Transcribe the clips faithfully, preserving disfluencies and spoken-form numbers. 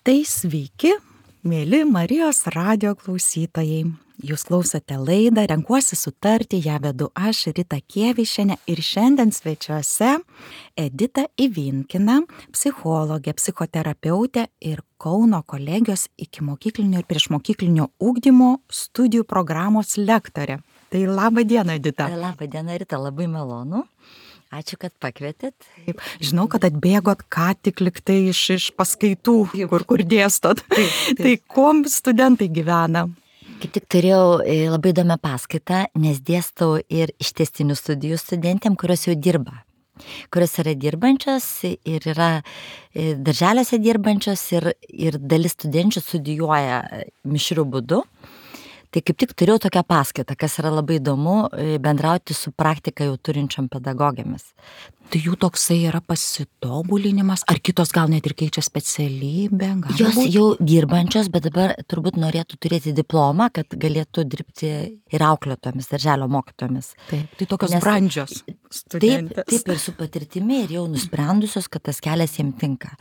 Tai sveiki, mėly Marijos radijo klausytojai. Jūs klausote laidą Renkuosi sutarti, ją vedu aš, Rita Kievišienė, ir šiandien svečiuose Edita Ivinkina, psichologė, psichoterapeutė ir Kauno kolegijos ikimokyklinio ir priešmokyklinio ugdymo studijų programos lektorė. Tai laba diena, Edita. Labą dieną, Rita, labai malonu. Ačiū, kad pakvietėt. Taip, žinau, kad atbėgot ką tik liktai iš, iš paskaitų, kur, kur dėstot. Taip, taip. Tai kuom studentai gyvena? Kaip tik turėjau labai įdomią paskaitą, nes dėstau ir ištęstinių studijų studentėm, kurios jau dirba. Kurios yra dirbančios ir yra darželiuose dirbančios ir, ir dalis studenčių studijuoja mišriu būdu. Tai kaip tik turėjau tokią paskaitą, kas yra labai įdomu bendrauti su praktika jau turinčiom pedagogėmis. Tai jų toksai yra pasitobulinimas, ar kitos gal net ir keičia specialybę? Jos būt? Jau dirbančios, bet dabar turbūt norėtų turėti diplomą, kad galėtų dirbti ir auklėtomis, darželio mokytomis. Taip, tai tokios Nes, brandžios Taip, studentės. taip ir su patirtimi ir jau nusprendusios, kad tas kelias jiems tinka.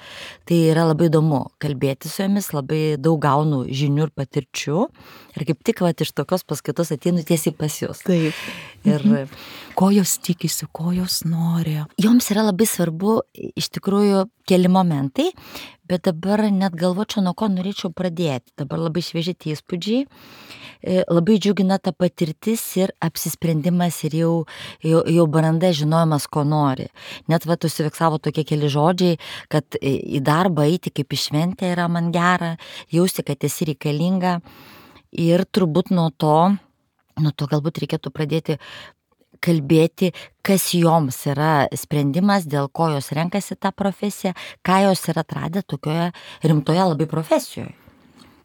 Tai yra labai įdomu kalbėti su jomis, labai daug gaunu žinių ir patirčių. Ir kaip tik vat, iš tokios paskaitos ateinu tiesiai pas jūs. Taip. Ir mhm. Ko jos tikisi, ko jos nori? Joms yra labai svarbu iš tikrųjų keli momentai, bet dabar net galvočiau, nuo ko norėčiau pradėti. Dabar labai švieži tie įspūdžiai, labai džiugina ta patirtis ir apsisprendimas ir jau, jau, jau branda žinojimas, ko nori. Net va, užsifiksavo tokie keli žodžiai, kad į darbą eiti kaip į šventę yra man gera, jausti, kad esi reikalinga. Ir turbūt nuo to, nuo to galbūt reikėtų pradėti kalbėti, kas joms yra sprendimas, dėl ko jos renkasi tą profesiją, ką jos yra atradę tokioje rimtoje labai profesijoje.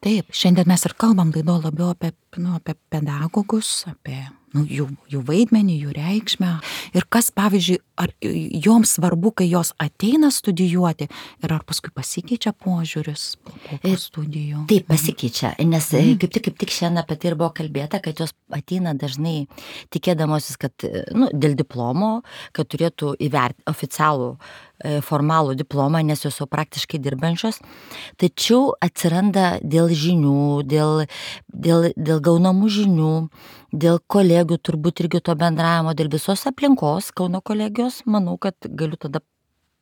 Taip, šiandien mes ir kalbam laido labiau apie, nu, apie pedagogus, apie nu, jų, jų vaidmenį, jų reikšmę. Ir kas, pavyzdžiui, ar joms svarbu, kai jos ateina studijuoti ir ar paskui pasikeičia požiūris po, po studijų? Taip, pasikeičia, nes mm. kaip tik, kaip tik šiandien apie tai ir buvo kalbėta, kad jos ateina dažnai tikėdamosis, kad nu, dėl diplomo, kad turėtų įvertinti oficialų formalų diplomą, nes jos jau praktiškai dirbančios, tačiau atsiranda dėl žinių, dėl, dėl, dėl gaunamų žinių, dėl kolegių turbūt irgi to bendravimo, dėl visos aplinkos Kauno kolegijos, manau, kad galiu tada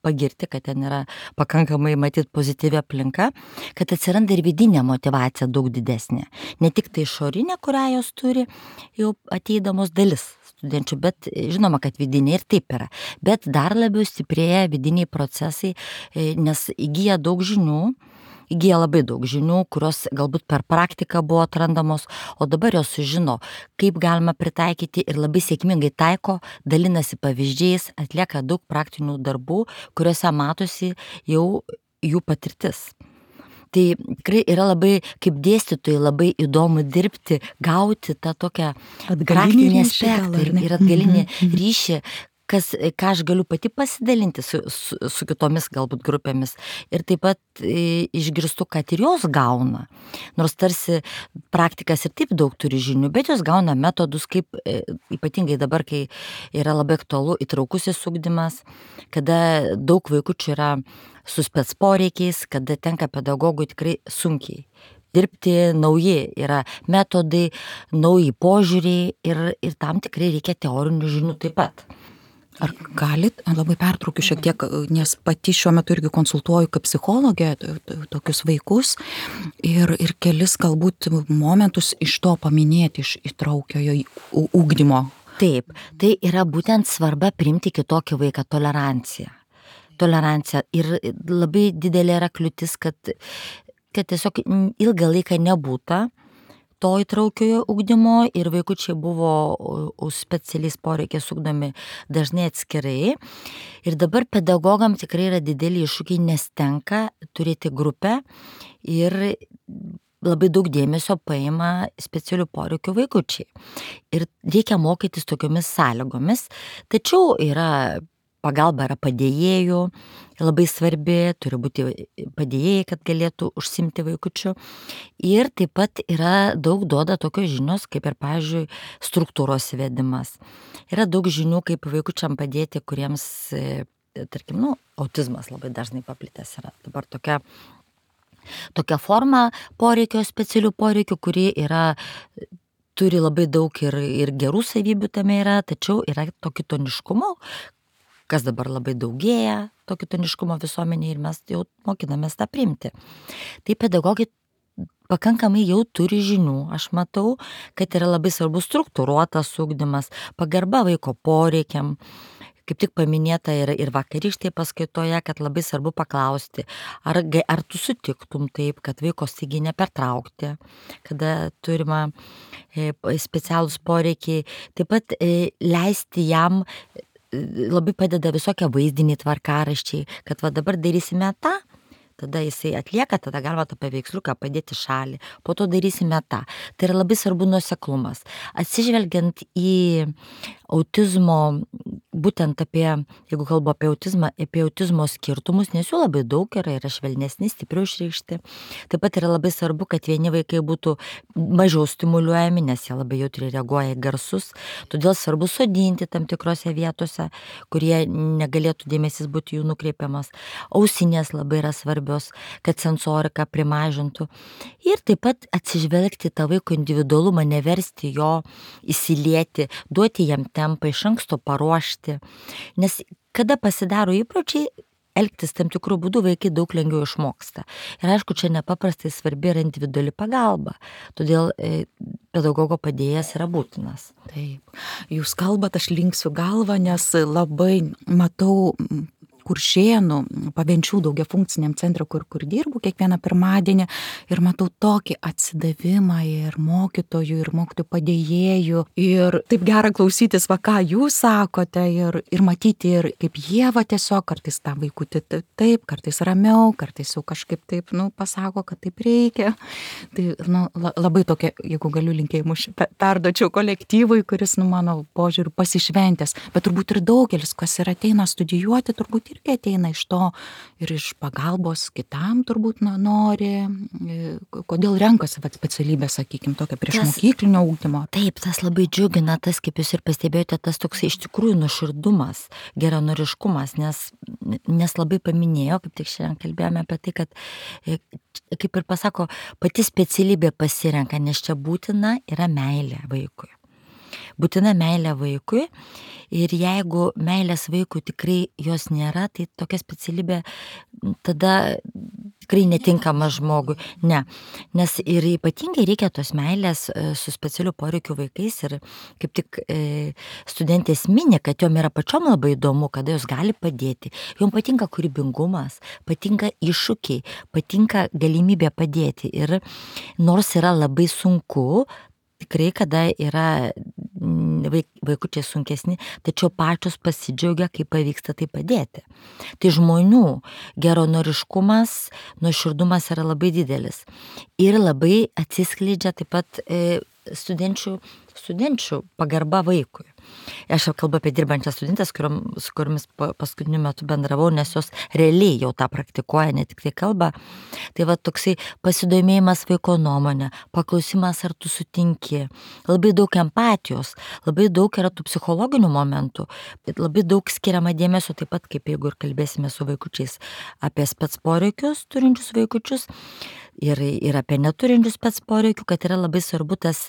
pagirti, kad ten yra pakankamai matyti pozityvi aplinka, kad atsiranda ir vidinė motyvacija daug didesnė. Ne tik tai išorinė, kurią jos turi, jau ateidamos dalis studenčių, bet žinoma, kad vidiniai ir taip yra. Bet dar labiau stiprėja vidiniai procesai, nes įgyja daug žinių, įgyja labai daug žinių, kurios galbūt per praktiką buvo atrandamos, o dabar jos sužino, kaip galima pritaikyti ir labai sėkmingai taiko, dalinasi pavyzdžiais, atlieka daug praktinių darbų, kuriuose matosi jau jų patirtis. Tai tikrai yra labai, kaip dėstytojai, labai įdomu dirbti, gauti tą tokią praktinį aspektą ir, ir atgalinį ryšį, kas, ką aš galiu pati pasidalinti su, su, su kitomis galbūt grupėmis. Ir taip pat e, išgirstu, kad ir jos gauna. Nors tarsi praktikas ir taip daug turi žinių, bet jos gauna metodus, kaip e, ypatingai dabar, kai yra labai aktualu įtraukusis ugdymas, kada daug vaikučių yra su spec poreikiais, kada tenka pedagogui tikrai sunkiai dirbti, nauji yra metodai, nauji požiūriai ir, ir tam tikrai reikia teorinių žinių taip pat. Ar galit, labai pertraukiu šiek tiek, nes pati šiuo metu irgi konsultuoju kaip psichologė tokius vaikus ir, ir kelis galbūt momentus iš to paminėti, iš įtraukiojo ugdymo. Taip, tai yra būtent svarba priimti kitokį vaiką, tolerancija. Tolerancija ir labai didelė yra kliūtis, kad, kad tiesiog ilgą laiką nebūta to įtraukiojo ugdymo ir vaikučiai buvo už specialiais poreikiais ugdomi dažnai atskirai. Ir dabar pedagogam tikrai yra dideli iššūkiai, nes tenka turėti grupę ir labai daug dėmesio paima specialių poreikių vaikučiai. Ir reikia mokytis tokiomis sąlygomis, tačiau yra pagalba yra padėjėjų, labai svarbi, turi būti padėjėjai, kad galėtų užsimti vaikučių. Ir taip pat yra daug duoda tokios žinios, kaip ir, pavyzdžiui, struktūros įvedimas. Yra daug žinių, kaip vaikučiam padėti, kuriems, tarkim, nu, autizmas labai dažnai paplitęs yra. Dabar tokia tokia forma poreikio, specialių poreikių, kuri yra, turi labai daug ir, ir gerų savybių tame yra, tačiau yra to kitoniškumo, kas dabar labai daugėja, to kitoniškumo visuomenėje ir mes jau mokinamės tą priimti. Tai pedagogai pakankamai jau turi žinių. Aš matau, kad yra labai svarbus struktūruotas ugdymas, pagarba vaiko poreikiam. Kaip tik paminėta ir, ir vakarykštėje paskaitoje, kad labai svarbu paklausti, ar, ar tu sutiktum taip, kad vaiko staigiai nepertraukti, kada turima e, specialūs poreikiai. Taip pat e, leisti jam, e, labai padeda visokie vaizdiniai tvarkaraščiai, kad va dabar darysime tą, tada jisai atlieka, tada galima tą paveiksliuką padėti šalį, po to darysime tą. Tai yra labai svarbu nuoseklumas. Atsižvelgiant į autizmo, būtent apie, jeigu kalbu apie autizmą, apie autizmo skirtumus, nes jų labai daug yra, yra švelnesni, stipriau išreikšti. Taip pat yra labai svarbu, kad vieni vaikai būtų mažiau stimuliuojami, nes jie labai jautriai reaguoja į garsus. Todėl svarbu sodinti tam tikrose vietose, kurie negalėtų dėmesys būti jų nukreipiamas. Ausinės labai yra svarbios, kad sensorika primažintų. Ir taip pat atsižvelgti tą vaiko individualumą, neversti jo įsilieti, duoti jam tempą, iš anksto paruošti. Nes kada pasidaro įpročiai, elgtis tam tikrų būdų vaikai daug lengviau išmoksta. Ir aišku, čia nepaprastai svarbi yra individuali pagalba. Todėl e, pedagogo padėjėjas yra būtinas. Taip. Jūs kalbat, aš linksiu galvą, nes labai matau Kuršėnų, Pavenčių daugiafunkciniam centre, kur, kur dirbu kiekvieną pirmadienį ir matau tokį atsidavimą ir mokytojų, ir mokytojų padėjėjų. Ir taip gera klausytis, va ką jūs sakote ir, ir matyti, ir kaip jie va tiesiog kartais tą vaikutį taip, kartais ramiau, kartais jau kažkaip taip, nu, pasako, kad taip reikia. Tai, nu, labai tokia, jeigu galiu linkėjimus perduočiau kolektyvui, kuris, nu, mano požiūriu pasišventęs, bet turbūt ir daugelis, kas ir ateina studijuoti, turbūt irgi ateina iš to ir iš pagalbos kitam turbūt nu, nori, kodėl renkasi vat, specialybę, sakykime, tokią priešmokyklinio ugdymo. Taip, tas labai džiugina, tas, kaip jūs ir pastebėjote, tas toks iš tikrųjų nuoširdumas, geranoriškumas, nes, nes labai paminėjo, kaip tik šiandien kalbėjome apie tai, kad, kaip ir pasako, pati specialybė pasirenka, nes čia būtina yra meilė vaikui. Būtina meilė vaikui ir jeigu meilės vaikui tikrai jos nėra, tai tokia specialybė tada tikrai netinkama žmogui. Ne, nes ir ypatingai reikia tos meilės su specialiu poreikiu vaikais ir kaip tik e, studentės mini, kad jom yra pačiom labai įdomu, kada jos gali padėti. Jom patinka kūrybingumas, patinka iššūkiai, patinka galimybė padėti ir nors yra labai sunku, tikrai, kada yra vaikučiai sunkesni, tačiau pačios pasidžiaugia, kai pavyksta tai padėti. Tai žmonių geranoriškumas, nuoširdumas yra labai didelis. Ir labai atsiskleidžia taip pat e, studenčių, studenčių pagarba vaikui. Aš jau kalbu apie dirbančias studentės, kuriom, su kuriomis paskutiniu metu bendravau, nes jos realiai jau tą praktikuoja, ne tik tai kalba. Tai va toksai pasidomėjimas vaiko nuomonė, paklausimas, ar tu sutinki, labai daug empatijos, labai daug yra tų psichologinių momentų, labai daug skiriama dėmesio, taip pat kaip jeigu ir kalbėsime su vaikučiais apie spec poreikius turinčius vaikučius ir, ir apie neturinčius spec poreikių, kad yra labai svarbu tas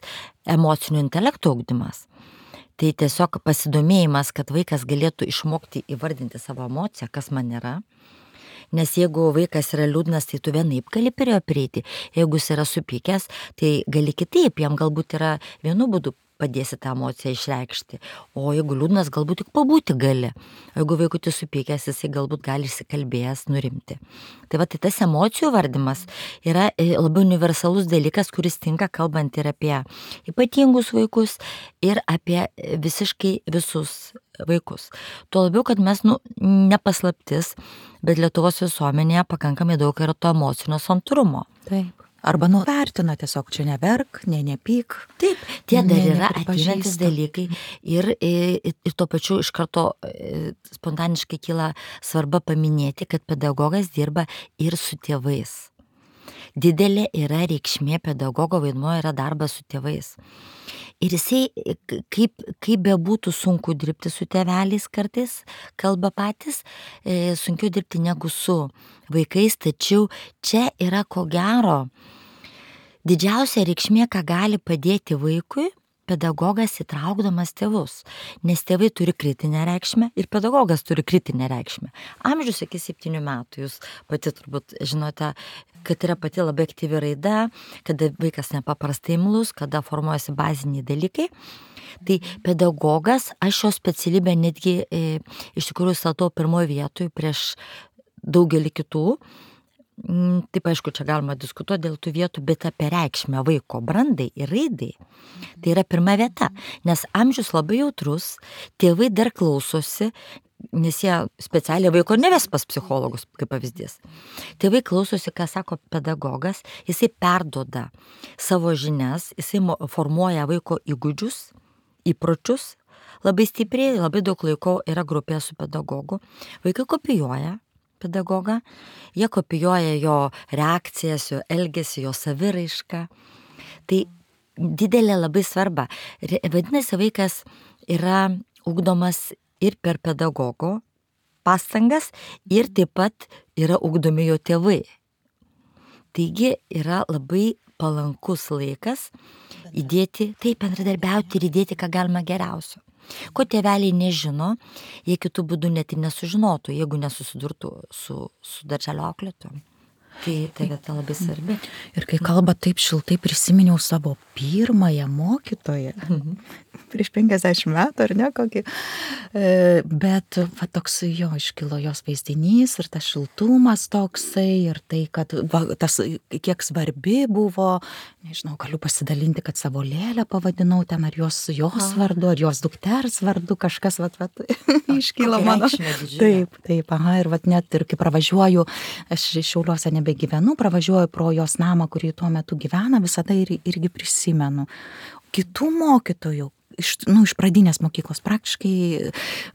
emocinio intelekto ugdymas. Tai tiesiog pasidomėjimas, kad vaikas galėtų išmokti įvardinti savo emociją, kas man yra. Nes jeigu vaikas yra liūdnas, tai tu vienaip gali prie jo prieiti. Jeigu jis yra supykęs, tai gali kitaip, jam galbūt yra vienu būdu padėsi tą emociją išreikšti. O jeigu liūdnas, galbūt tik pabūti gali. O jeigu vaikutis supykęs, jisai galbūt gali išsikalbėjęs nurimti. Tai va, tai tas emocijų vardymas yra labai universalus dalykas, kuris tinka kalbant ir apie ypatingus vaikus, ir apie visiškai visus vaikus. Tuo labiau, kad mes, nu, nepaslaptis, bet Lietuvos visuomenėje pakankamai daug yra to emocinio santūrumo. Taip. Arba nuvertina tiesiog, čia neverk, ne nepyk. Taip, tie dar ne, yra ateinantis dalykai ir, ir, ir tuo pačiu iš karto spontaniškai kyla svarba paminėti, kad pedagogas dirba ir su tėvais. Didelė yra reikšmė pedagogo vaidmuo yra darbas su tėvais. Ir jisai, kaip, kaip bebūtų sunku dirbti su tėveliais kartais, kalba patys, e, sunkiau dirbti negu su vaikais, tačiau čia yra ko gero didžiausia reikšmė, ką gali padėti vaikui pedagogas įtraukdamas tėvus, nes tėvai turi kritinę reikšmę ir pedagogas turi kritinę reikšmę. Amžius iki septynių metų, jūs pati turbūt žinote, kad yra pati labai aktyvi raida, kada vaikas nepaprastai imlus, kada formuojasi baziniai dalykai. Tai pedagogas, aš šio specialybę netgi e, iš tikrųjų statau pirmoje vietoje prieš daugelį kitų. Taip, aišku, čia galima diskutuoti dėl tų vietų, bet apie reikšmę vaiko brandai ir raidai. Tai yra pirma vieta, nes amžius labai jautrus, tėvai dar klausosi, nes jie specialiai vaiko neves pas psichologus, kaip pavyzdys. Tėvai klausosi, ką sako pedagogas, jisai perduoda savo žinias, jisai formuoja vaiko įgūdžius, įpročius, labai stipriai, labai daug laiko yra grupė su pedagogu. Vaikai kopijuoja pedagogą, jie kopijuoja jo reakcijas, jo elgesį, jo saviraišką. Tai didelė labai svarba. Vadinasi, vaikas yra ugdomas ir per pedagogo pastangas ir taip pat yra ugdomi jo tėvai. Taigi yra labai palankus laikas įdėti, taip bendradarbiauti ir įdėti, ką galima geriausio. Ko tėveliai nežino, jie kitų būdų net ir nesužinotų, jeigu nesusidurtų su, su darželio auklėtojom. Tai tai vieta labai svarbi. Ir kai kalba taip šiltai, prisiminiau savo pirmąją mokytoją. Mhm. Prieš penkiasdešimt metų, ar ne, kokį. Bet va, toks jo iškilo jos vaizdinys ir tas šiltumas toksai ir tai, kad va, tas kiek svarbi buvo, nežinau, galiu pasidalinti, kad savo Lėlę pavadinau ten, ar jos, jos vardu, ar jos dukters vardu, kažkas, va, va, iškilo mano. Taip, taip, aha, ir va, net ir kai pravažiuoju, aš Šiauliuose nebegyvenu, pravažiuoju pro jos namą, kurį tuo metu gyvena, visada ir, irgi prisimenu. Kitų mokytojų, iš, nu, iš pradinės mokyklos praktiškai,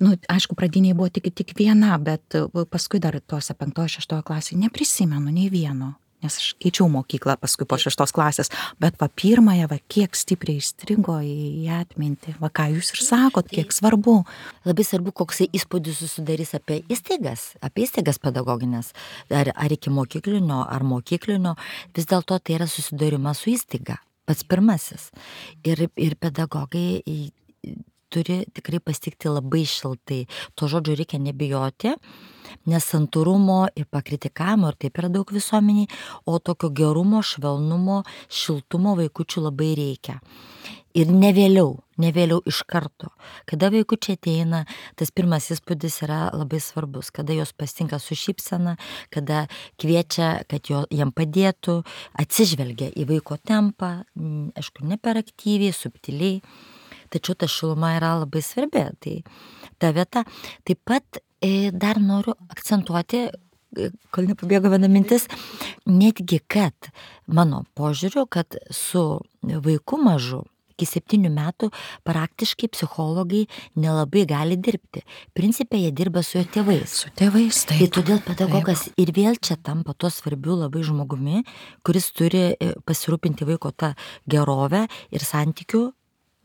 nu, aišku, pradiniai buvo tik, tik viena, bet paskui dar tuose penktojo, šeštojo klasėje neprisimenu nei vieno, nes aš keičiau mokyklą paskui po šeštos klasės, bet va pirmąją, va kiek stipriai įstrigo į atmintį, va ką jūs ir sakot, kiek svarbu. Labai svarbu, koksai įspūdis susidarys apie įstaigas, apie įstaigas pedagoginės, ar, ar iki mokyklinio, ar mokyklinio, vis dėlto tai yra susidūrimas su įstaiga. Pats pirmasis. Ir, ir pedagogai turi tikrai pasitikti labai šiltai. To žodžio reikia nebijoti, nes santūrumo ir pakritikavimo, ir taip yra daug visuomeniai, o tokio gerumo, švelnumo, šiltumo vaikučių labai reikia. Ir ne vėliau, ne vėliau iš karto. Kada vaikučiai ateina, tas pirmas įspūdis yra labai svarbus. Kada jos pasitinka su šypsena, kada kviečia, kad jo, jam padėtų, atsižvelgia į vaiko tempą, aišku, ne per aktyviai, subtiliai. Tačiau ta šiluma yra labai svarbi. Tai ta vieta. Taip pat e, dar noriu akcentuoti, kol nepabėgo viena mintis, netgi kad mano požiūriu, kad su vaiku mažu, iki septynių metų praktiškai psichologai nelabai gali dirbti. Principe jie dirba su jo tėvais. Su tėvais, taip. Tai todėl pedagogas taip. Ir vėl čia tampa to svarbiu labai žmogumi, kuris turi pasirūpinti vaiko tą gerovę ir santykių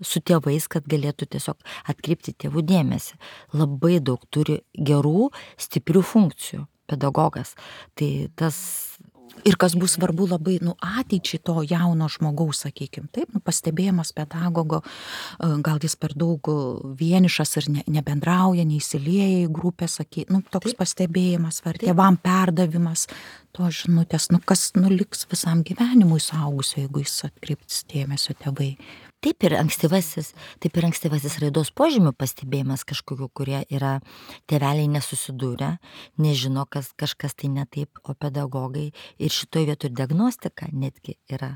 su tėvais, kad galėtų tiesiog atkreipti tėvų dėmesį. Labai daug turi gerų, stiprių funkcijų pedagogas. Tai tas... Ir kas bus svarbu labai, nu, ateičiai to jauno žmogaus, sakykim, taip, nu, pastebėjimas pedagogo, gal jis per daug vienišas ir ne, nebendrauja, neįsilieja į grupę, saky, nu, toks taip. Pastebėjimas, ar tėvam perdavimas to žinutės, nu, kas nuliks visam gyvenimui suaugusio, jeigu jis atkreips dėmesio tėvai. Taip ir ankstyvasis, taip ir ankstyvasis raidos požymių pastebėjimas kažkokiu, kurie yra tėveliai nesusidūrę, nežino, kas kažkas tai ne taip, o pedagogai ir šitoj vietoj diagnostika netgi yra.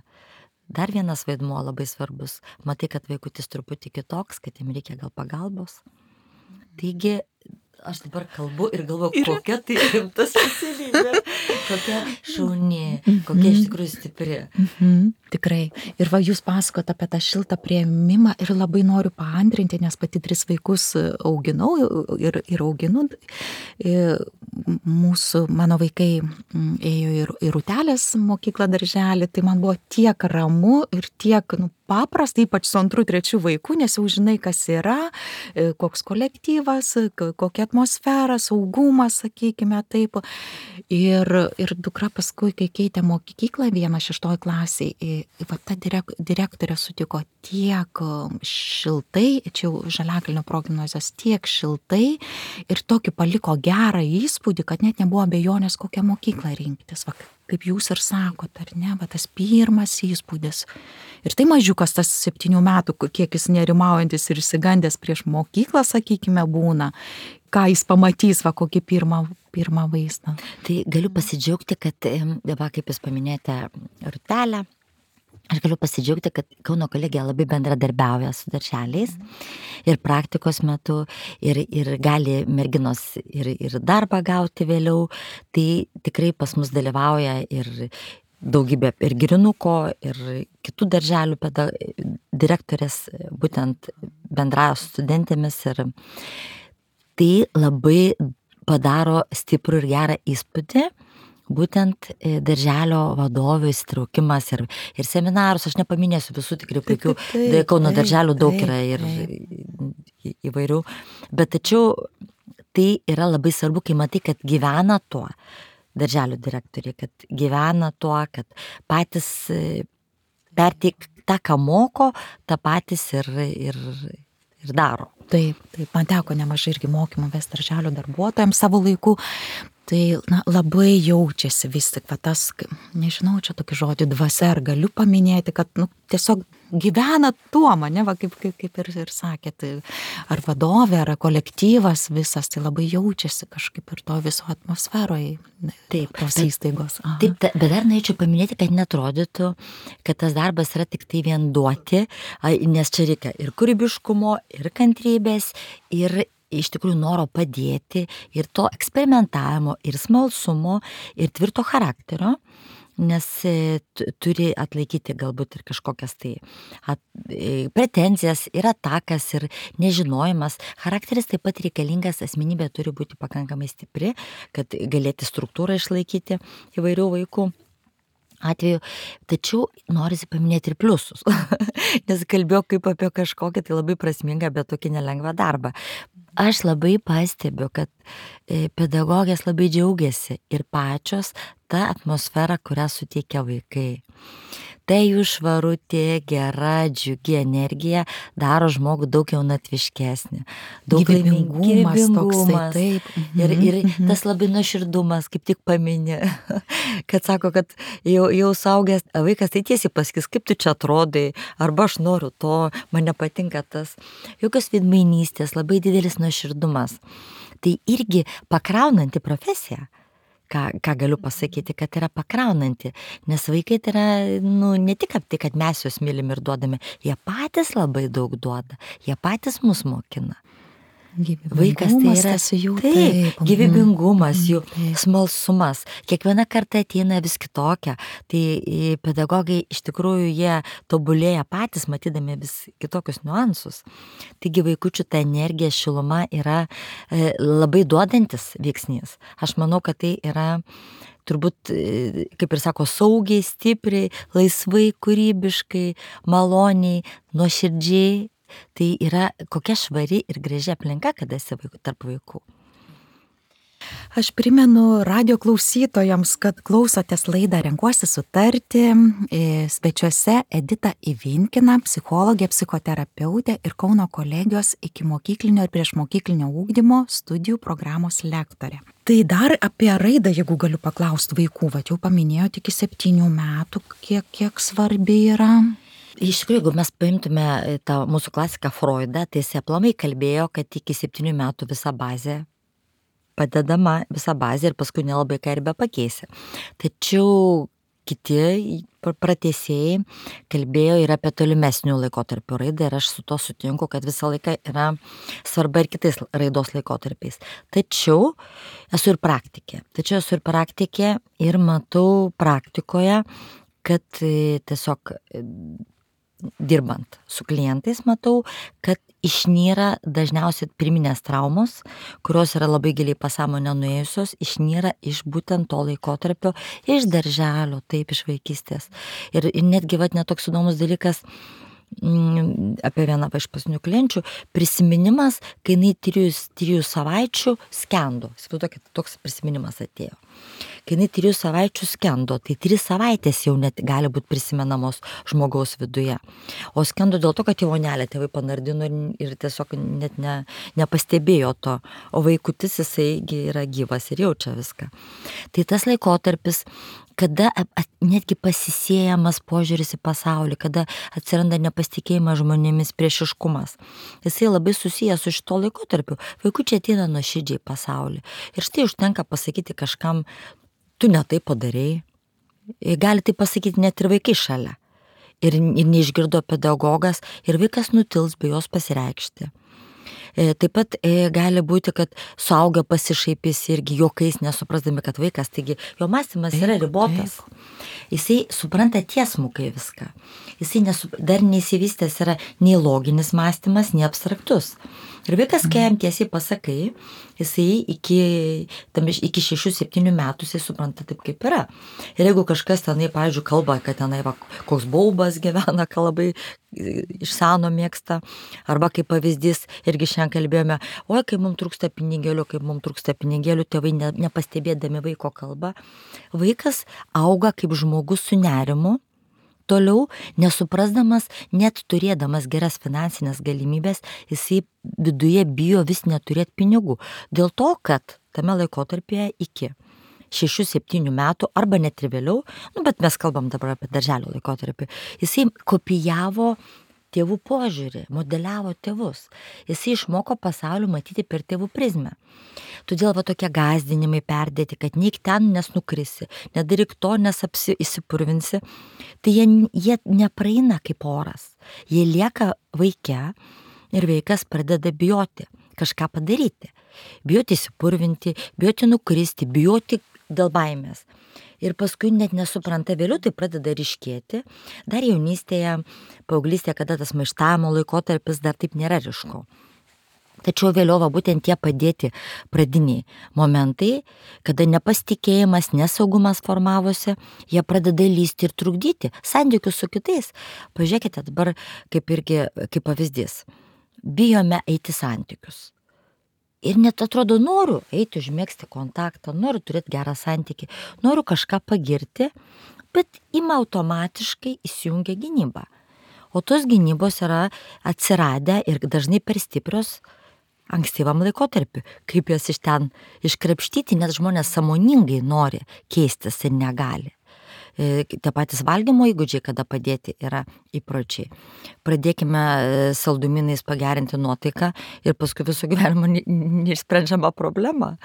Dar vienas vaidmuo labai svarbus. Matai, kad vaikutis truputį kitoks, kad jam reikia gal pagalbos. Taigi, aš dabar kalbu ir galvoju, ir... kokia tai rimta specialybė, kokia šauni, kokia iš tikrųjų stipri. Mhm, tikrai. Ir va, jūs pasakot apie tą šiltą priėmimą ir labai noriu paantrinti, nes pati tris vaikus auginau ir, ir auginu. Ir mūsų, mano vaikai ėjo ir, ir Rūtelės mokyklą darželį, tai man buvo tiek ramu ir tiek, nu, paprasta, ypač su antru, trečiu vaiku, nes jau žinai, kas yra, koks kolektyvas, kokia atmosfera, saugumas, sakykime taip. Ir, ir dukra paskui, kai keitė mokyklą vieną šeštoj klasiai, va ta direk, direktorė sutiko tiek šiltai, čia jau Žaliakalnio progimnazijos, tiek šiltai ir tokį paliko gerą įspūdį, kad net nebuvo abejonės, kokią mokyklą rinktis. Va, kaip jūs ir sakot, ar ne, va tas pirmas įspūdis. Ir tai mažiukas tas septynių metų, kiek jis nerimaujantis ir išsigandęs prieš mokyklą, sakykime, būna, ką jis pamatys, va kokį pirmą, pirmą vaizdą. Tai galiu pasidžiaugti, kad, va, kaip jūs paminėjote Rutelę, aš galiu pasidžiaugti, kad Kauno kolegija labai bendradarbiauja su darželiais ir praktikos metu ir, ir gali merginos ir, ir darbą gauti vėliau. Tai tikrai pas mus dalyvauja ir daugybė ir Girinuko, ir kitų darželių peda, direktorės būtent bendrauja su studentėmis ir tai labai padaro stiprų ir gerą įspūdį. Būtent darželio vadovių įsitraukimas ir, ir seminarus, aš nepaminėsiu visų tikrai puikių, Kauno darželių daug yra ir įvairių, bet tačiau tai yra labai svarbu, kai matai, kad gyvena tuo darželių direktoriai, kad gyvena tuo, kad patys perteik tą, ką moko, tą patys ir, ir, ir daro. Taip, taip, man teko nemažai irgi mokymų vesti darželio darbuotojams savo laiku. Tai na, labai jaučiasi vis tik va, tas, nežinau, čia tokį žodį dvasia, ar galiu paminėti, kad nu, tiesiog gyvena tuo mane, va, kaip, kaip, kaip ir, ir sakėt, ar vadovė, ar kolektyvas visas, tai labai jaučiasi kažkaip ir to viso atmosferoje. Taip, tos įstaigos. Aha. Taip, ta, bet dar norėčiau paminėti, kad netrodytų, kad tas darbas yra tik tai vien duoti, nes čia reikia ir kūrybiškumo, ir kantrybės, ir iš tikrųjų noro padėti ir to eksperimentavimo, ir smalsumo, ir tvirto charakterio, nes turi atlaikyti galbūt ir kažkokias tai at, pretenzijas, ir atakas, ir nežinojimas. Charakteris taip pat reikalingas, asmenybė turi būti pakankamai stipri, kad galėti struktūrą išlaikyti įvairių vaikų atveju, tačiau norisi paminėti ir pliusus, nes kalbėjau kaip apie kažkokį tai labai prasmingą, bet tokį nelengvą darbą. Aš labai pastebiu, kad pedagogės labai džiaugiasi ir pačios tą atmosferą, kurią suteikia vaikai. Tai jų švarutė, gera, džiugi energija daro žmogų daug jaunatviškesnį. Daug gyvybingumas, toksai, taip. Ir, ir tas labai nuoširdumas, kaip tik paminė, kad sako, kad jau, jau suaugęs vaikas tai tiesiai pasakys, kaip tu čia atrodai, arba aš noriu to, man nepatinka tas. Jokios veidmainystės, labai didelis nuoširdumas. Tai irgi pakraunanti profesija. Ką, ką galiu pasakyti, kad yra pakraunanti, nes vaikai tai yra, nu, ne tik tai, kad mes juos mylim ir duodame, jie patys labai daug duoda, jie patys mus mokina. Vaikas tai yra jų, taip, taip, gyvybingumas, jų smalsumas. Kiekviena karta ateina vis kitokia. Tai pedagogai iš tikrųjų jie tobulėja patys, matydami vis kitokius niuansus. Taigi vaikučių ta energija, šiluma yra e, labai duodantis veiksnys. Aš manau, kad tai yra turbūt, kaip ir sako, saugiai, stipriai, laisvai, kūrybiškai, maloniai, nuoširdžiai. Tai yra kokia švari ir graži aplinka, kada esi vaikų, tarp vaikų. Aš primenu radio klausytojams, kad klausotės laidą Renkuosi sutarti. Svečiuose Edita Ivinkina, psichologė, psichoterapeutė ir Kauno kolegijos ikimokyklinio ir priešmokyklinio ugdymo studijų programos lektorė. Tai dar apie raidą, jeigu galiu paklausti vaikų, va jau paminėjote iki septynių metų, kiek, kiek svarbi yra. Iš tikrųjų, jeigu mes paimtume tą mūsų klasiką Freudą, tai jis aplamai kalbėjo, kad iki septynių metų visa bazė padedama, visa bazė ir paskui nelabai ką ir be pakeisi. Tačiau kiti pratęsėjai kalbėjo ir apie tolimesnių laikotarpių raidą ir aš su to sutinku, kad visą laiką yra svarba ir kitais raidos laikotarpiais. Tačiau esu ir praktikė. Tačiau esu ir praktikė ir matau praktikoje, kad tiesiog dirbant su klientais matau, kad išnyra dažniausiai pirminės traumos, kurios yra labai giliai pasąmonę nuėjusios, išnyra iš būtent to laikotarpio, iš darželio, taip, iš vaikystės. Ir, ir netgi vat netoks įdomus dalykas, apie vieną iš pasinių klienčių, prisiminimas, kai jinai trijų, trijų savaičių skendo. Įsivaizduokit, toks prisiminimas atėjo. Kai jinai trijų savaičių skendo, tai tris savaitės jau net gali būti prisimenamos žmogaus viduje. O skendo dėl to, kad jo vonelė tėvai panardino ir, ir tiesiog net ne, nepastebėjo to. O vaikutis jisai yra gyvas ir jaučia viską. Tai tas laikotarpis, kada netgi pasisėjamas požiūris į pasaulį, kada atsiranda nepasitikėjimas žmonėmis, priešiškumas. Jisai labai susijęs su šito laikotarpiu. Vaikučiai ateina nuoširdžiai į pasaulį. Ir štai užtenka pasakyti kažkam, tu ne tai padarei. Gali tai pasakyti net ir vaikai šalia. Ir, ir neišgirdo pedagogas, ir vaikas nutils be jos pasireikšti. Taip pat gali būti, kad suaugę pasišaipys irgi juokais, nesuprasdami, kad vaikas, taigi jo mąstymas yra ribotas. Jisai supranta tiesmukai viską. Jisai nesu, dar neįsivystęs yra nei loginis mąstymas, nei abstraktus. Ir vaikas, kai jam tiesiai pasakai, jisai iki, tam, iki šešių septynių metų jisai supranta taip, kaip yra. Ir jeigu kažkas tenai, pavyzdžiui, kalba, kad tenai va, koks baubas gyvena, ką labai iš seno mėgsta, arba kaip pavyzdys, irgi šiandien kalbėjome, oi, kai mums trūksta pinigėlių, kai mums trūksta pinigėlių, tėvai ne, nepastebėdami vaiko kalbą, vaikas auga kaip žmogus su nerimu, toliau nesuprasdamas, net turėdamas geras finansinės galimybės, jisai viduje bijo vis neturėti pinigų. Dėl to, kad tame laikotarpyje iki šešių septynių metų, arba net ir vėliau, nu, bet mes kalbam dabar apie darželio laikotarpį, jisai kopijavo tėvų požiūrį, modeliavo tėvus. Jisai išmoko pasaulį matyti per tėvų prizmę. Todėl va tokie gąsdinimai perdėti, kad neik ten, nes nukrisi, nedaryk to, nes apsi, įsipurvinsi, tai jie, jie nepraeina kaip oras. Jie lieka vaike ir vaikas pradeda bijoti kažką padaryti. Bijoti įsipurvinti, bijoti nukristi, bijoti dėl baimės. Ir paskui net nesupranta, vėliau tai pradeda ryškėti. Dar jaunystėje, paauglystėje, kada tas maištavimo laikotarpis dar taip nėra ryšku. Tačiau vėliau va, būtent tie padėti pradiniai momentai, kada nepasitikėjimas, nesaugumas formavosi, jie pradeda lysti ir trukdyti santykius su kitais. Pažiūrėkite dabar kaip irgi kaip pavyzdys. Bijome eiti santykius. Ir net atrodo, noriu eiti, užmėgsti kontaktą, noriu turėti gerą santykį, noriu kažką pagirti, bet ima automatiškai įsijungia gynyba. O tos gynybos yra atsiradę ir dažnai per stiprios ankstyvam laikotarpiu. Kaip jas iš ten iškrapštyti, net žmonės sąmoningai nori keistis ir negali. Tie patys valgymo įgūdžiai, kada padėti, yra įpročiai. Pradėkime saldumynais pagerinti nuotaiką ir paskui visų gyvenimo neišsprendžiama problema.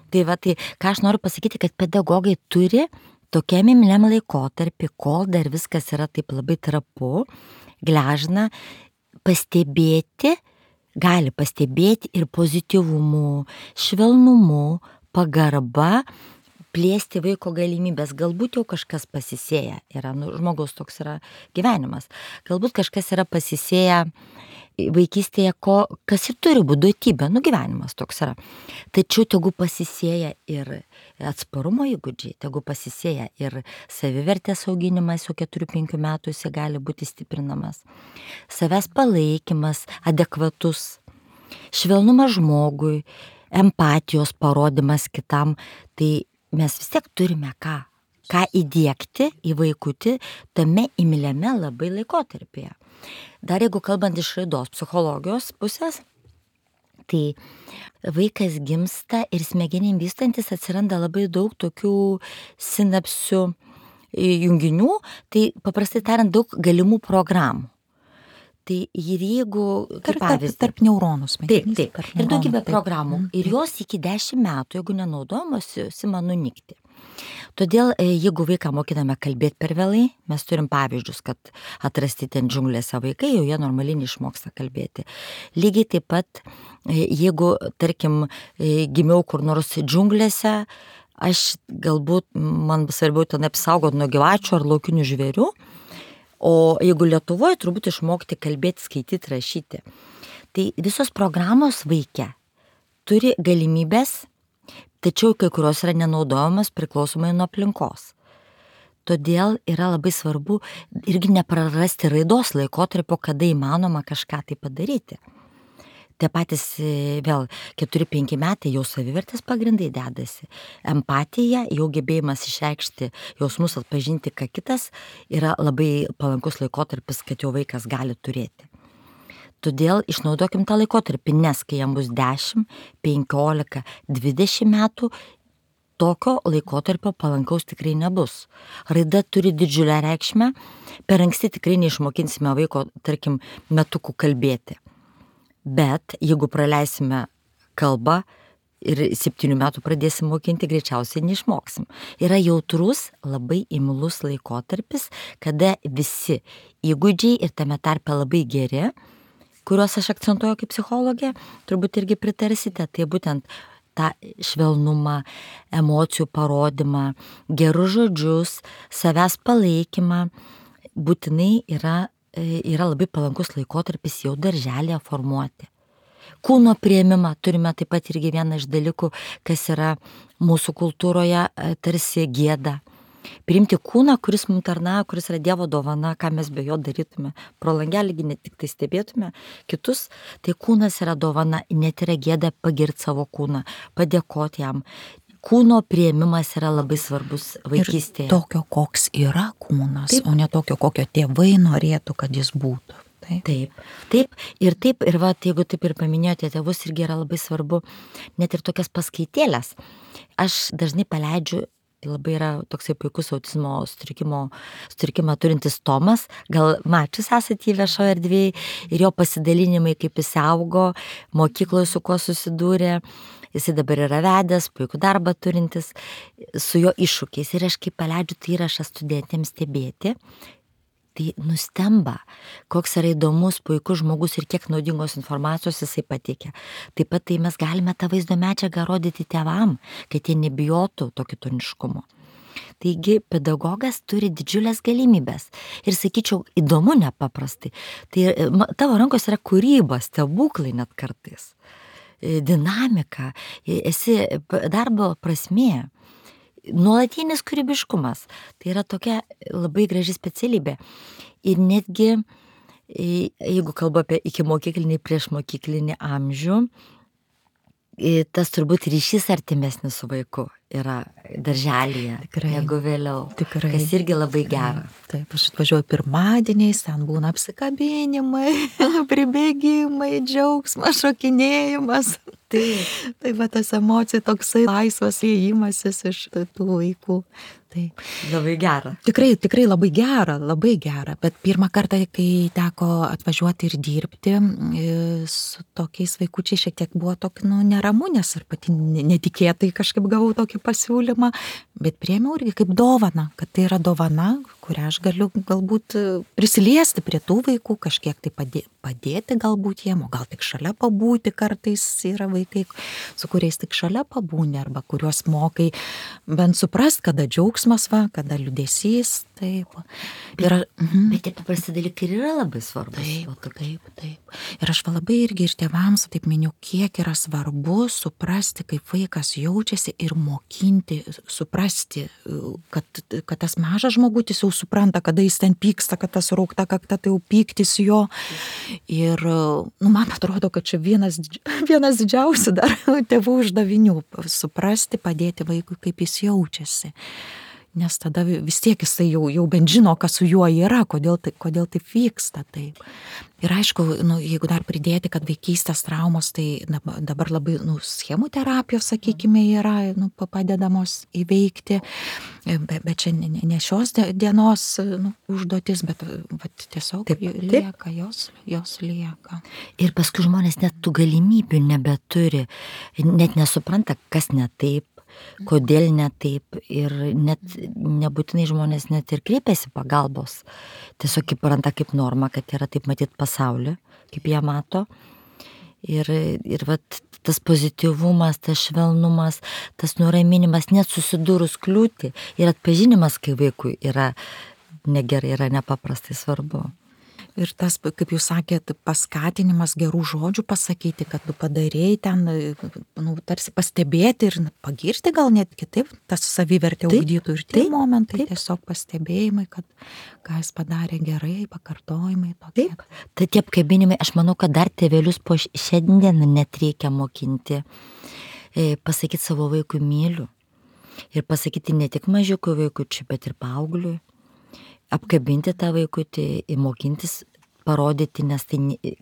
Tai va, tai ką aš noriu pasakyti, kad pedagogai turi tokiam imliam laikotarpį, kol dar viskas yra taip labai trapu, gležna, pastebėti, gali pastebėti ir pozityvumu, švelnumu, pagarba, plėsti vaiko galimybės. Galbūt jau kažkas pasisėja yra, nu, žmogaus toks yra gyvenimas. Galbūt kažkas yra pasisėję vaikystėje, ko, kas ir turi būti duotybė, nu gyvenimas toks yra. Tačiau tegu pasisėja ir atsparumo įgūdžiai, tegu pasisėja ir savivertės auginimas, jau keturių penkių metų jis gali būti stiprinamas. Savęs palaikymas, adekvatus, švelnumas žmogui, empatijos parodimas kitam, tai mes vis tiek turime ką, ką įdiegti į vaikutį tame imliame labai laikotarpyje. Dar jeigu kalbant iš raidos psichologijos pusės, tai vaikas gimsta ir smegenim vystantis atsiranda labai daug tokių sinapsių junginių, tai paprastai tariant daug galimų programų. Tai ir jeigu, kaip pavyzdį, tarp neuronų smegenys. Taip, taip. Ir daugybė programų. Ir jos iki dešimt metų, jeigu nenaudojamos, ima nunykti. Todėl, jeigu vaiką mokiname kalbėti per vėlai, mes turim pavyzdžius, kad atrasti ten džiunglėse vaikai, jau jie normaliai neišmoksta kalbėti. Lygiai taip pat, jeigu, tarkim, gimiau kur nors džiunglėse, aš galbūt, man svarbiau ten apsaugoti nuo gyvačių ar laukinių žvėrių, o jeigu Lietuvoje, turbūt išmokti kalbėti, skaityti, rašyti. Tai visos programos vaike turi galimybės, tačiau kai kurios yra nenaudojamas priklausomai nuo aplinkos. Todėl yra labai svarbu irgi neprarasti raidos laikotarpio, kada įmanoma kažką tai padaryti. Tie patys vėl keturi penki metai jau savivertės pagrindai dedasi. Empatija, jau gebėjimas išreikšti jausmus, atpažinti, ką kitas, yra labai palankus laikotarpis, kad jau vaikas gali turėti. Todėl išnaudokim tą laikotarpį, nes kai jam bus dešimt, penkiolika, dvidešimt metų, tokio laikotarpio palankaus tikrai nebus. Raida turi didžiulę reikšmę, per anksti tikrai neišmokinsime vaiko, tarkim, metukų kalbėti. Bet jeigu praleisime kalbą ir septynių metų pradėsim mokinti, greičiausiai neišmoksim. Yra jautrus, labai imlus laikotarpis, kada visi įgūdžiai ir tame tarpe labai geri, kuriuos aš akcentuoju kaip psichologė, turbūt irgi pritarsite, tai būtent tą švelnumą, emocijų parodymą, gerus žodžius, savęs palaikymą, būtinai yra yra labai palankus laikotarpis jau darželėje formuoti. Kūno priėmimą turime taip pat irgi vieną iš dalykų, kas yra mūsų kultūroje tarsi gėda. Priimti kūną, kuris mums tarnauja, kuris yra Dievo dovana, ką mes be jo darytume. Pro langelį ne tik tai stebėtume kitus, tai kūnas yra dovana, net yra gėda pagirti savo kūną, padėkoti jam. Kūno priėmimas yra labai svarbus vaikystėje. Ir tokio, koks yra kūnas, taip, o ne tokio, kokio tėvai norėtų, kad jis būtų. Taip, taip, taip ir taip, ir va, jeigu taip ir paminėjote tėvus, irgi yra labai svarbu net ir tokias paskaitėlės. Aš dažnai paleidžiu, labai yra toksai puikus autizmo sutrikimo, sutrikimą turintis Tomas, gal mačius esate jį viešoje erdvėje, ir jo pasidalinimai, kaip jis augo, mokykloje su kuo susidūrė. Jis dabar yra vedęs, puikų darbą turintis, su jo iššūkiais. Ir aš kaip paleidžiu tai įrašą studentėms stebėti, tai nustemba, koks yra įdomus, puikus žmogus ir kiek naudingos informacijos jisai pateikia. Taip pat tai mes galime tą vaizdo medžiagą rodyti tėvam, kad jie nebijotų to kitoniškumo. Taigi pedagogas turi didžiulės galimybės ir, sakyčiau, įdomu nepaprastai. Tai tavo rankos yra kūryba, stebuklai net kartais. Dinamika, esi darbo prasmė, nuolatinis kūrybiškumas. Tai yra tokia labai graži specialybė. Ir netgi, jeigu kalbu apie ikimokyklinį, priešmokyklinį amžių, tas turbūt ryšys artimesnis su vaiku yra darželyje, tikrai, negu vėliau, tikrai, kas irgi labai gera. Taip, aš atvažiuoju pirmadieniais, ten būna apsikabinimai, pribėgimai, džiaugsmas, šokinėjimas. Taip, tai va tas emocija, toksai laisvas įėjimasis iš tų vaikų. Taip. Labai gera. Tikrai, tikrai labai gera, labai gera. Bet pirmą kartą, kai teko atvažiuoti ir dirbti su tokiais vaikučiais, šiek tiek buvo tokį, nu, neramu, nes ir pati netikėtai kažkaip gavau tokį pasiūlymą, bet priėmiau irgi kaip dovaną, kad tai yra dovana, kurią aš galiu galbūt prisiliesti prie tų vaikų, kažkiek tai padėti, padėti galbūt jiem, o gal tik šalia pabūti, kartais yra vaikai, su kuriais tik šalia pabūni, arba kuriuos mokai bent suprast, kada džiaugsmas va, kada liūdesys, taip. Bet, ir, mhm. bet tie paprasti dalykai yra labai svarbus. Taip, taip, taip. Ir aš va labai irgi ir tėvams, taip miniu, kiek yra svarbu suprasti, kaip vaikas jaučiasi ir mokinti, suprasti, kad, kad tas mažas žmogutis jau supranta, kada jis ten pyksta, kad tas raukta kakta, tai jau pyktis jo. Ir, nu, man atrodo, kad čia vienas, vienas didžiausių dar tėvų uždavinių - suprasti, padėti vaikui, kaip jis jaučiasi. Nes tada vis tiek jisai jau, jau bent žino, kas su juo yra, kodėl, tai, kodėl taip vyksta. Taip. Ir aišku, nu, jeigu dar pridėti, kad vaikystės traumos, tai dabar labai, nu, schemų terapijos, sakykime, yra, nu, padedamos įveikti, bet, bet čia ne, ne šios dienos, nu, užduotis, bet vat, tiesiog taip, lieka, taip. Jos, jos lieka. Ir paskui žmonės net tų galimybių nebeturi, net nesupranta, kas ne taip, kodėl ne taip, ir net nebūtinai žmonės net ir kreipiasi pagalbos. Tiesiog kaip randa kaip norma, kad yra taip matyti pasaulį, kaip jie mato. Ir, ir vat, tas pozityvumas, tas švelnumas, tas nuraminimas, net susidūrus kliūtį ir atpažinimas, kai vaikui yra negerai, yra nepaprastai svarbu. Ir tas, kaip jūs sakėt, paskatinimas gerų žodžių pasakyti, kad tu padarėjai ten, nu, tarsi pastebėti ir pagirti gal net kitaip, tas savivertė ugdytų ir tie taip, momentai, taip. tiesiog pastebėjimai, kad ką jis padarė gerai, pakartojimai tokie. Taip, tai tie apkabinimai, aš manau, kad dar tėvelius po šiandien net reikia mokinti, pasakyti savo vaikui myliu. Ir pasakyti ne tik mažiukui vaikučiui, bet ir paaugliui. Apkabinti tą vaikutį, mokintis, parodyti, nes tai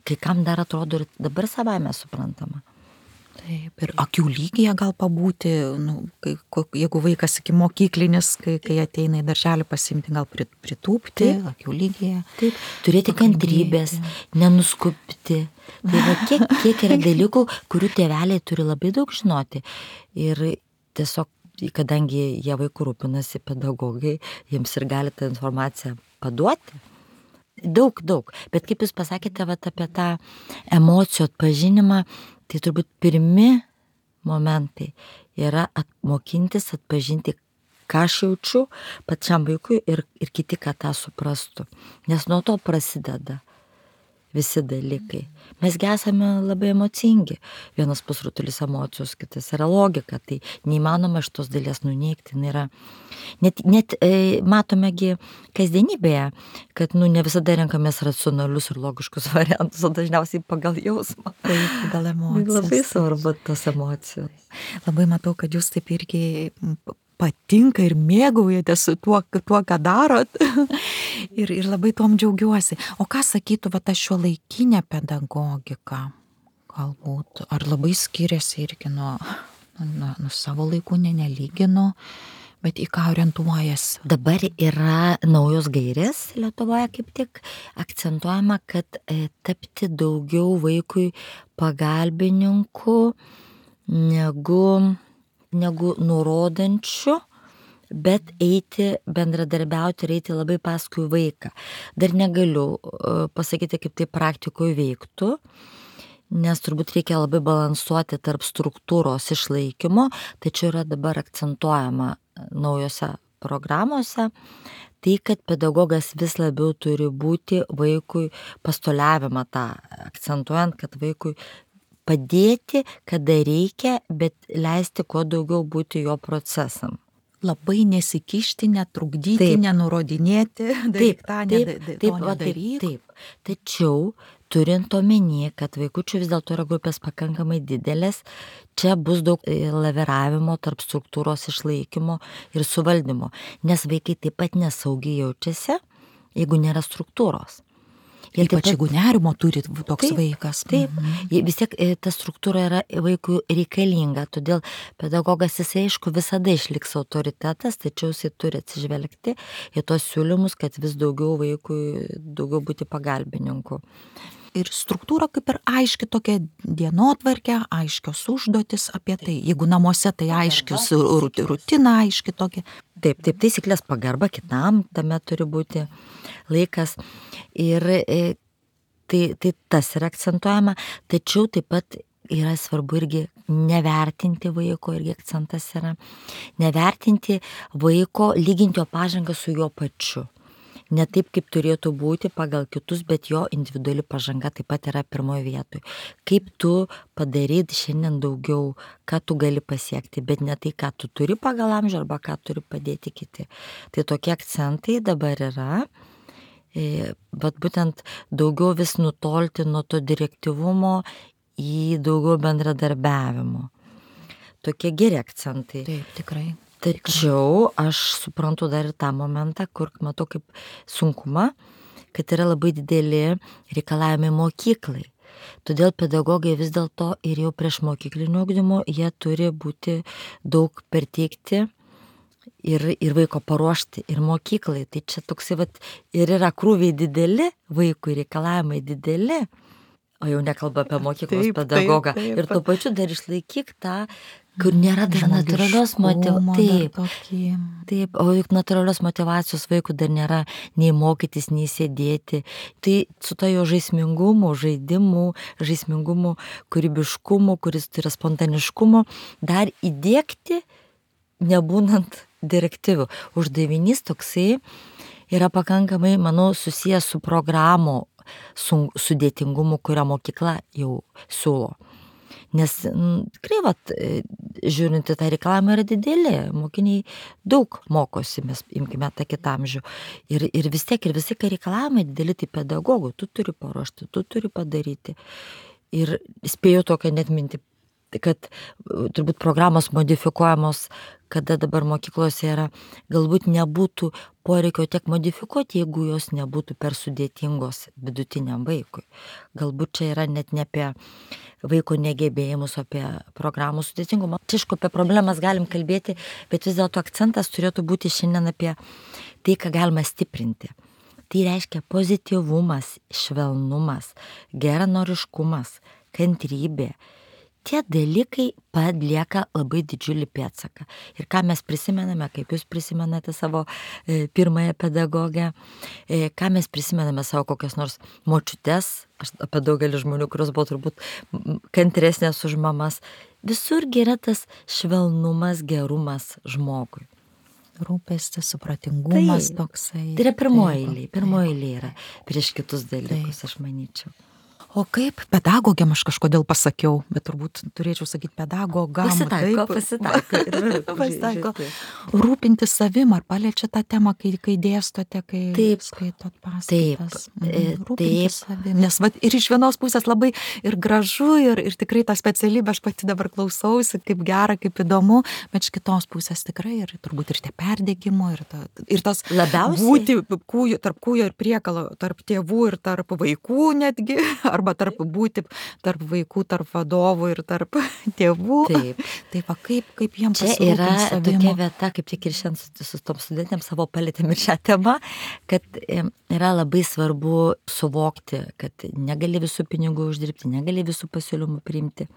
kai kam dar atrodo ir dabar savaime suprantama. Taip, ir akių lygyje gal pabūti, nu, kai, jeigu vaikas iki mokyklinis, kai, kai ateina į darželį pasimti, gal pritūpti, taip, akių lygyje. Taip, turėti kantrybės, nenuskubti. Tai va, kiek, kiek yra dalykų, kurių tėveliai turi labai daug žinoti. Ir tiesiog, kadangi jie vaikų rūpinasi pedagogai, jiems ir gali tą informaciją paduoti. Daug, daug. Bet kaip jūs pasakėte vat, apie tą emocijų atpažinimą, tai turbūt pirmi momentai yra atmokintis, atpažinti, ką aš jaučiu pačiam vaikui ir, ir kiti, kad tą suprastų. Nes nuo to prasideda visi dalykai. Mesgi esame labai emocingi. Vienas pusrutulis emocijos, kitas yra logika. Tai neįmanoma šitos dalies nuneigti. Yra, net net e, matomegi kasdienybėje, kad nu, ne visada renkamės racionalius ir logiškus variantus, o dažniausiai pagal jausmą. Tai pagal emocijas. Labai svarbu tos emocijos. Labai matau, kad jūs taip irgi patinka ir mėgaujate su tuo, tuo ką darot. ir, ir labai tom džiaugiuosi. O ką sakytų va ta šiuolaikinė pedagogika? Galbūt, ar labai skiriasi irgi nuo, nuo, nuo savo laikų, ne, nelyginu, bet į ką orientuojasi? Dabar yra naujos gairės Lietuvoje, kaip tik akcentuojama, kad e, tapti daugiau vaikui pagalbininku negu negu nurodančių, bet eiti, bendradarbiauti ir eiti labai paskui vaiką. Dar negaliu pasakyti, kaip tai praktikoje veiktų, nes turbūt reikia labai balansuoti tarp struktūros išlaikymo, tačiau yra dabar akcentuojama naujose programuose, tai, kad pedagogas vis labiau turi būti vaikui pastoliavimą tą, akcentuojant, kad vaikui padėti, kada reikia, bet leisti kuo daugiau būti jo procesam. Labai nesikišti, netrukdyti, taip. Nenurodinėti, daryk tą, taip, ne, taip, taip, va, taip, taip. Tačiau, turint omeny, kad vaikučių vis dėlto yra grupės pakankamai didelės, čia bus daug laviravimo tarp struktūros išlaikymo ir suvaldymo, nes vaikai taip pat nesaugiai jaučiasi, jeigu nėra struktūros. Ir ypač jeigu nerimo turi toks taip, vaikas. Taip, mhm. Vis tiek ta struktūra yra vaikui reikalinga, todėl pedagogas jisai aišku visada išliks autoritetas, tačiau jisai turi atsižvelgti į tos siūlymus, kad vis daugiau vaikui, daugiau būti pagalbininku. Ir struktūra kaip ir aiški tokia dienotvarkė, aiškios užduotis apie tai. Jeigu namuose tai aiškius rutina aiški tokia. Taip, taip, taisyklės pagarba kitam, tame turi būti laikas. Ir tai, tai tas yra akcentuojama, tačiau taip pat yra svarbu irgi nevertinti vaiko, irgi akcentas yra. Nevertinti vaiko, lyginti jo pažangą su jo pačiu. Ne taip, kaip turėtų būti pagal kitus, bet jo individuali pažanga taip pat yra pirmoje vietoje. Kaip tu padaryti šiandien daugiau, ką tu gali pasiekti, bet ne tai, ką tu turi pagal amžių arba ką turi padėti kiti. Tai tokie akcentai dabar yra, bet būtent daugiau vis nutolti nuo to direktyvumo į daugiau bendradarbiavimo. Tokie geri akcentai. Taip, tikrai. Tačiau aš suprantu dar ir tą momentą, kur matau kaip sunkumą, kad yra labai dideli reikalavimai mokyklai. Todėl pedagogai vis dėlto ir jau prieš mokyklinio ugdymo jie turi būti daug perteikti ir, ir vaiko paruošti ir mokyklai. Tai čia toksai vat, ir yra krūviai dideli, vaikui reikalavimai dideli. O jau nekalba apie mokyklos taip, pedagogą. Taip, taip. Ir tuo pačiu dar išlaikyk tą, kur nėra dar natūralios motyvacijos. Taip, taip, o juk natūralios motyvacijos vaikų dar nėra nei mokytis, nei sėdėti. Tai su to jo žaismingumu, žaidimu, žaismingumu, kūrybiškumu, kuris turi spontaniškumu, dar įdiegti, nebūnant direktyvių. Uždavinys toksai yra pakankamai, manau, susijęs su programų sun, sudėtingumų, kurią mokykla jau siūlo. Nes tikrai, vat, žiūrint į tą reikalavimą yra didelį, mokiniai daug mokosi, mes imkime tą kitą amžių. Ir, ir vis tiek, ir visi, kai reikalavimai dideli, tai pedagogų, tu turi paruošti, tu turi padaryti. Ir spėjau tokią net mintį, kad turbūt programos modifikuojamos, kada dabar mokyklose yra, galbūt nebūtų poreikio tiek modifikuoti, jeigu jos nebūtų per sudėtingos vidutiniam vaikui. Galbūt čia yra net ne apie vaiko negebėjimus, apie programų sudėtingumą. Čia, aišku, apie problemas galim kalbėti, bet vis dėlto akcentas turėtų būti šiandien apie tai, ką galima stiprinti. Tai reiškia pozityvumas, švelnumas, geranoriškumas, kantrybė. Tie dalykai palieka labai didžiulį pėdsaką. Ir ką mes prisimename, kaip jūs prisimenate savo e, pirmąją pedagogę, e, ką mes prisimename savo kokias nors močiutes, aš apie daugelį žmonių, kurios buvo turbūt kantresnės už mamas, visurgi yra tas švelnumas, gerumas žmogui. Rūpestis, supratingumas tai, toksai. Tai yra pirmoji eilė, pirmoji eilė yra prieš kitus dalykus, taip. Aš manyčiau. O kaip pedagogėm aš kažkodėl pasakiau, bet turbūt turėčiau sakyti pedagogam. Pasitaiko, pasitaiko. pasitaiko. Rūpinti savim, ar paliečia tą temą, kai, kai dėstote, kai taip, skaitot paskaitas. Taip, mhm. Rūpinti taip. Savim. Nes vat, ir iš vienos pusės labai ir gražu, ir, ir tikrai tą specialybę aš pati dabar klausausi, kaip gera, kaip įdomu, bet iš kitos pusės tikrai ir turbūt ir tie perdegimo, ir, ta, ir tas labiausiai būti kūjo, tarp kūjo ir priekalo, tarp tėvų ir tarp vaikų netgi, ar arba tarp būti tarp vaikų, tarp vadovų ir tarp tėvų. Taip. Tai va, kaip, kaip jiems čia yra tokia vieta, kaip tik ir šiandien su, su tom studentėm savo palėtėm ir šią temą, kad yra labai svarbu suvokti, kad negali visų pinigų uždirbti, negali visų pasiūlymų priimti.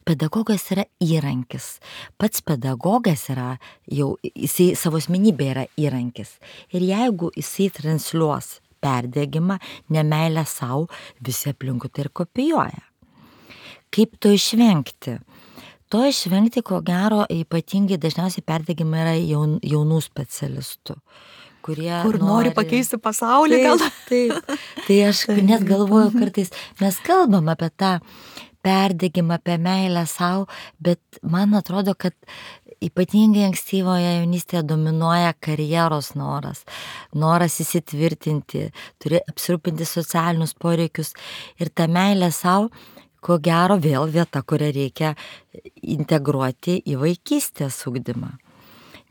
Pedagogas yra įrankis. Pats pedagogas yra jau, jisai savo asmenybė yra įrankis. Ir jeigu jisai transliuos perdegimą, nemeilę savo, visi aplinkui tai ir kopijuoja. Kaip to išvengti? To išvengti, ko gero, ypatingai dažniausiai perdegimai yra jaun, jaunų specialistų, kurie Kur nori, nori pakeisti pasaulį, taip, gal? Taip, tai aš net galvoju kartais, mes kalbam apie tą perdegimą, apie meilę savo, bet man atrodo, kad ypatingai ankstyvoje jaunystėje dominuoja karjeros noras, noras įsitvirtinti, turi apsirūpinti socialinius poreikius ir ta meilė savo, ko gero vėl vieta, kurią reikia integruoti į vaikystės ugdymą.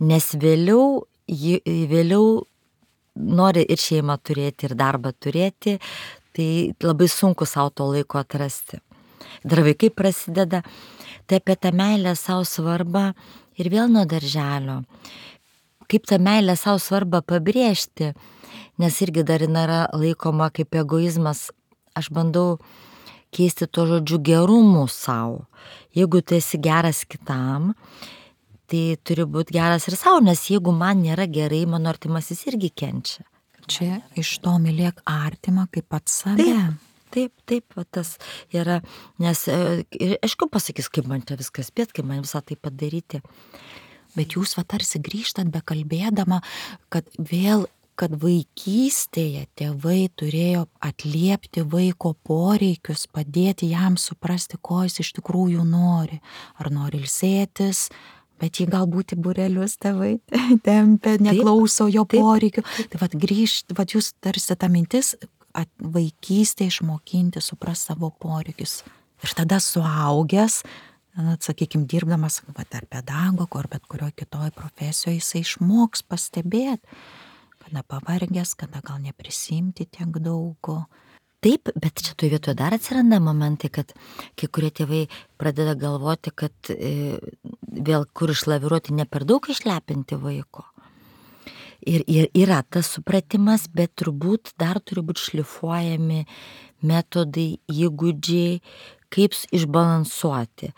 Nes vėliau, vėliau nori ir šeimą turėti, ir darbą turėti, tai labai sunku savo to laiko atrasti. Dar vaikai prasideda, tai apie tą meilę savo svarbą ir vėl nuo darželio. Kaip tą meilę savo svarbą pabrėžti, nes irgi dar yra laikoma kaip egoizmas. Aš bandau keisti to žodžiu gerumu savo. Jeigu tu esi geras kitam, tai turi būti geras ir savo, nes jeigu man nėra gerai, mano artimasis irgi kenčia. Čia iš to mylėk artimą kaip pats save. Taip. Taip, taip, va, tas yra, nes, ir aišku pasakys, kaip man čia viskas spėt, kaip man visą tai padaryti. Bet jūs va tarsi grįžtat bekalbėdama, kad vėl, kad vaikystėje tėvai turėjo atliepti vaiko poreikius, padėti jam suprasti, ko jis iš tikrųjų nori. Ar nori ilsėtis, bet jį galbūt į būrelius tėvai tempia, neklauso jo poreikių. Tai va grįžt, va jūs tarsi ta mintis, vaikystė išmokinti, supras savo poreikius. Ir tada suaugęs, sakykime, dirbdamas ar pedagogo, ar bet kurioje kitoje profesijoje, jisai išmoks pastebėti, kada pavargęs, kada gal neprisimti tiek daug. Taip, bet čia toje vietoje dar atsiranda momentai, kad kai kurie tėvai pradeda galvoti, kad e, vėl kur išlaviruoti, ne per daug išlepinti vaiko. Ir, ir yra tas supratimas, bet turbūt dar turi būti šlifuojami metodai, įgūdžiai, kaip išbalansuoti.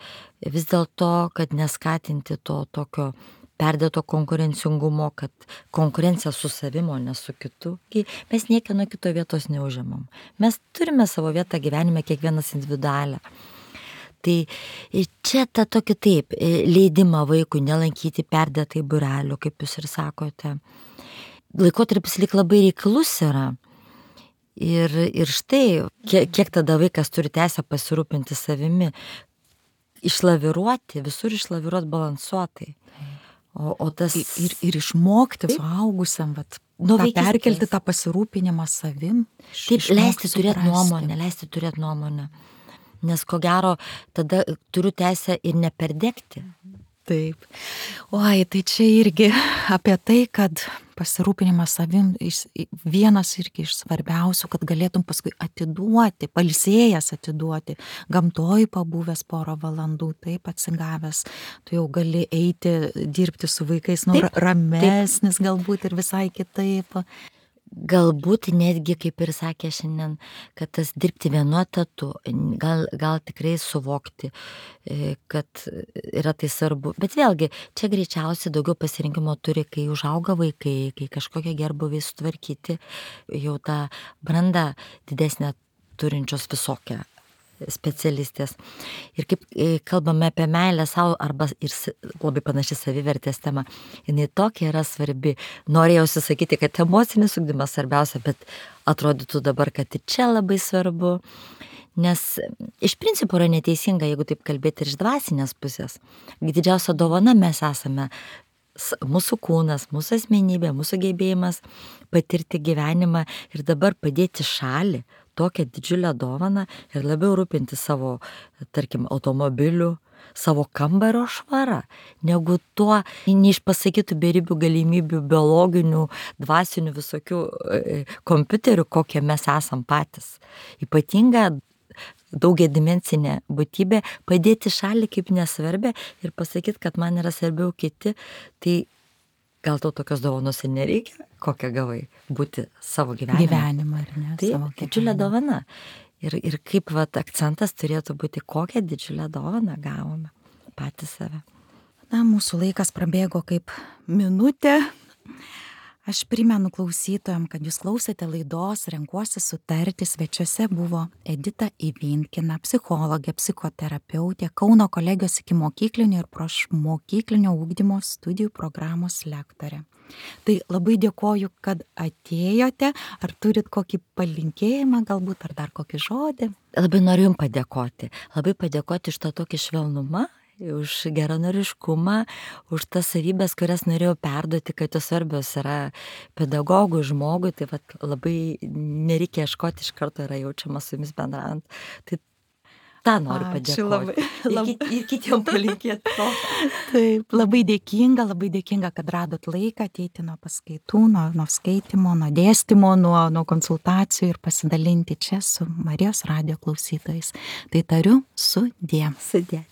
Vis dėlto, kad neskatinti to tokio perdėto konkurencingumo, kad konkurencija su savimi, o ne su kitu. Mes niekieno kito vietos neužimam. Mes turime savo vietą gyvenime, kiekvienas individualią. Tai čia ta tokia taip, leidimą vaikui nelankyti perdėtai būrelių, kaip jūs ir sakote. Laikotarpis lyg labai reiklus yra. Ir, ir štai, kiek, kiek tada vaikas turi teisę pasirūpinti savimi, išlaviruoti, visur išlaviruoti balansuotai. O, o tas... Ir, ir išmokti suaugusiam, vat, Nu, tą vaikystės. perkelti tą pasirūpinimą savim. iš- Taip, išmokti leisti turėti suprasti. nuomonę, leisti turėti nuomonę. Nes ko gero, tada turiu teisę ir neperdegti. Taip. Oi, tai čia irgi apie tai, kad pasirūpinimas savim iš- vienas irgi iš svarbiausių, kad galėtum paskui atiduoti, pailsėjęs atiduoti, gamtoj pabuvęs porą valandų, taip atsigavęs, tu jau gali eiti dirbti su vaikais, nu, Taip, ra- ramesnis galbūt ir visai kitaip. Galbūt netgi, kaip ir sakė šiandien, kad tas dirbti vienu etatu, gal, gal tikrai suvokti, e, kad yra tai svarbu. Bet vėlgi, čia greičiausiai daugiau pasirinkimo turi, kai užauga vaikai, kai kažkokie gerbuvai sutvarkyti, jau tą brandą didesnę turinčios visokią specialistės. Ir kaip e, kalbame apie meilę savo arba ir s- labai panaši savivertės tema, jinai tokia yra svarbi. Norėjausi sakyti, kad emocinis ugdymas svarbiausia, bet atrodytų dabar, kad ir čia labai svarbu. Nes iš principo yra neteisinga, jeigu taip kalbėti ir iš dvasinės pusės. Didžiausia dovana mes esame s- mūsų kūnas, mūsų asmenybė, mūsų gebėjimas patirti gyvenimą ir dabar padėti šalį tokią didžiulę dovaną ir labiau rūpinti savo, tarkim, automobiliu, savo kambario švarą, negu tuo neišpasakytų beribių galimybių biologinių, dvasinių visokių e, kompiuterių, kokie mes esam patys. Ypatinga daugiadimensinė būtybė padėti šalį kaip nesvarbę ir pasakyti, kad man yra svarbiau kiti, tai gal tau tokios dovanos ir nereikia, kokią gavai, būti savo gyvenime. Gyvenimą, ar ne? Tai savo didžiulė gyvenimą. dovana. Ir, ir kaip vat, akcentas turėtų būti, kokią didžiulę dovaną gavome patys save. Na, mūsų laikas prabėgo kaip minutė. Aš primenu klausytojam, kad jūs klausėte laidos Renkuosi sutarti. Svečiuose buvo Edita Ivinkina, psichologė, psichoterapeutė, Kauno kolegijos ikimokyklinio ir priešmokyklinio ugdymo studijų programos lektorė. Tai labai dėkoju, kad atėjote. Ar turit kokį palinkėjimą galbūt, ar dar kokį žodį? Labai noriu Jums padėkoti. Labai padėkoti už tą tokį švelnumą, už geranoriškumą, už tas savybės, kurias norėjau perduoti, kad jos svarbios yra pedagogui, žmogui, tai vat, labai nereikia ieškoti, iš karto yra jaučiama su Jumis bendraujant. Tai tą noriu Ačiū padėkoti. labai. Ir, kit, ir kitiem palinkėti to. Taip, labai dėkinga, labai dėkinga, kad radot laiką ateiti nuo paskaitų, nuo, nuo skaitimo, nuo dėstymo, nuo, nuo konsultacijų ir pasidalinti čia su Marijos radijo klausytojais. Tai tariu sudie. Sudė.